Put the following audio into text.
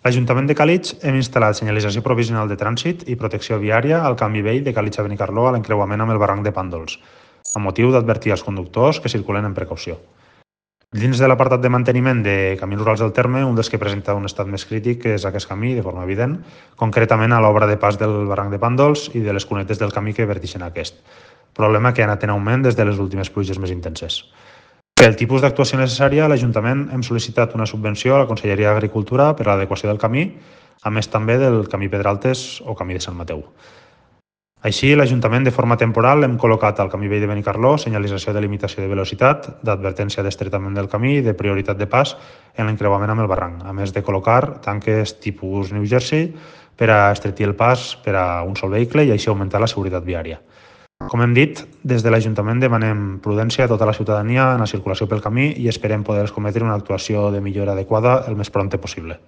L'Ajuntament de Càlig hem instal·lat senyalització provisional de trànsit i protecció viària al canvi vell de Càlig a Benicarló a l'encreuament amb el barranc de Pàndols, amb motiu d'advertir als conductors que circulen amb precaució. Dins de l'apartat de manteniment de camins rurals del terme, un dels que presenta un estat més crític és aquest camí, de forma evident, concretament a l'obra de pas del barranc de Pàndols i de les cunetes del camí que vertixen aquest, problema que ha anat en augment des de les últimes pluges més intenses. Pel tipus d'actuació necessària, l'Ajuntament hem sol·licitat una subvenció a la Conselleria d'Agricultura per a l'adequació del camí, a més també del camí Pedraltes o camí de Sant Mateu. Així, l'Ajuntament de forma temporal hem col·locat al camí vell de Benicarló senyalització de limitació de velocitat, d'advertència d'estretament del camí i de prioritat de pas en l'encreuament amb el barranc, a més de col·locar tanques tipus New Jersey per a estretir el pas per a un sol vehicle i així augmentar la seguretat viària. Com hem dit, des de l'Ajuntament demanem prudència a tota la ciutadania en la circulació pel camí i esperem poder cometre una actuació de millora adequada el més prompte possible.